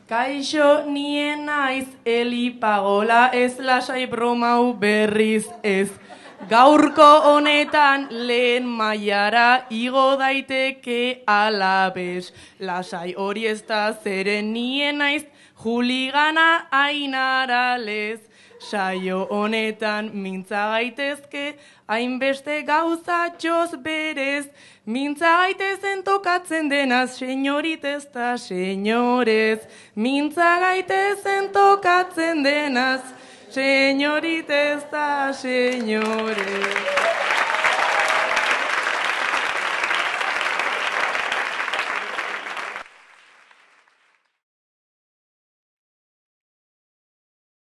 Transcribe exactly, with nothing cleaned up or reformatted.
Kaixo nien naiz elipagola ez lasai bromau berriz ez. Gaurko honetan lehen mailara igo daiteke alabez. Lasai hori ez da zeren nien naiz juligana ainaralez. Saio honetan mintza gaitezke, hainbeste gauzatxoz berez. Mintza gaitezen tokatzen denaz, senyoritez ta senyorez. Mintza gaitezen tokatzen denaz, senyoritez ta senyorez.